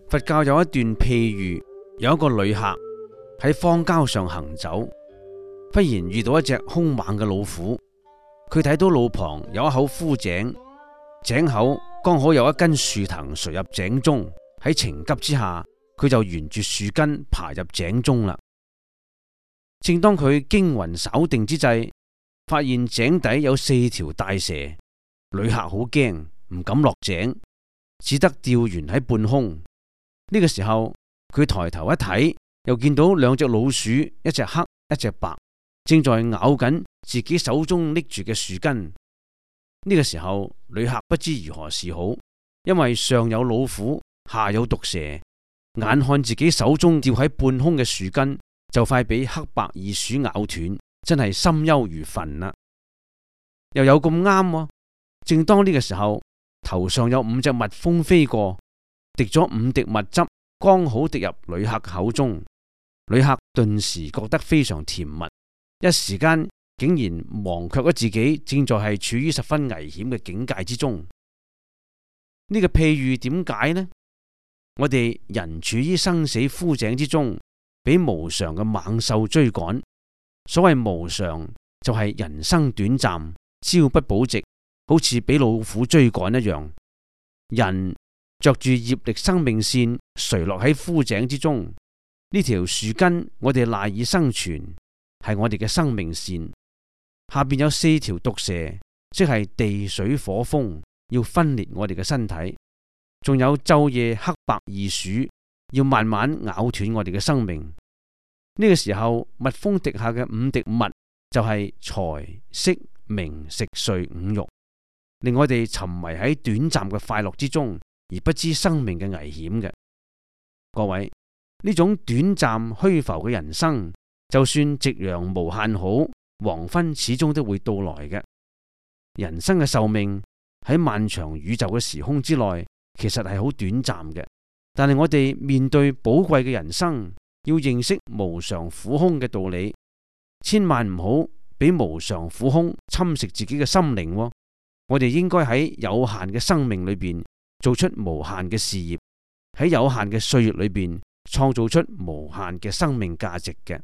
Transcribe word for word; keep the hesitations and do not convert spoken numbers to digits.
佛教有一段譬喻，有一個旅客喺荒郊上行走，忽然遇到一隻兇猛嘅老虎。佢睇到路旁有一口枯井，井口剛好有一根樹藤垂入井中。喺情急之下，佢就沿住樹根爬入井中啦。正當佢驚魂稍定之際，發現井底有四條大蛇。旅客好驚，唔敢落井，只得吊懸喺半空。呢個時候，佢抬頭一睇，又見到兩隻老鼠，一隻黑，一隻白，正在咬緊自己手中拎住嘅樹根。呢個時候，旅客不知如何是好，因為上有老虎，下有毒蛇，眼看自己手中吊喺半空嘅樹根就快俾黑白二鼠咬斷，真係心憂如焚啦。又有咁啱喎，正當呢個時候，頭上有五隻蜜蜂飛過，滴咗五滴蜜汁，剛好滴入旅客口中。旅客頓時覺得非常甜蜜，一時間竟然忘卻咗自己正在係處於十分危險嘅境界之中。呢個譬喻點解呢？我哋人處於生死枯井之中，俾無常嘅猛獸追趕。所謂無常，就係人生短暫，朝不保夕，好似俾老虎追趕一樣。人着住業力生命線，垂落喺枯井之中。呢條樹根，我哋賴以生存，係我哋嘅生命線。下邊有四條毒蛇，即係地水火風，要分裂我哋嘅身體。仲有晝夜黑白二鼠，要慢慢咬斷我哋嘅生命。呢個時候，蜜蜂滴下嘅五滴蜜，就係財色名食睡五欲，令我哋沉迷喺短暫嘅快樂之中，而不知生命嘅危險嘅。各位，呢種短暫虛浮嘅人生，就算夕陽無限好，黃昏始終都會到來嘅。人生嘅壽命喺漫長宇宙嘅時空之內，其實係好短暫嘅。但係我哋面對寶貴嘅人生，要認識無常苦空嘅道理，千萬唔好俾無常苦空侵蝕自己嘅心靈喎。我哋應該喺有限嘅生命裏邊做出無限嘅事業，喺有限嘅歲月裏邊創造出無限嘅生命價值嘅。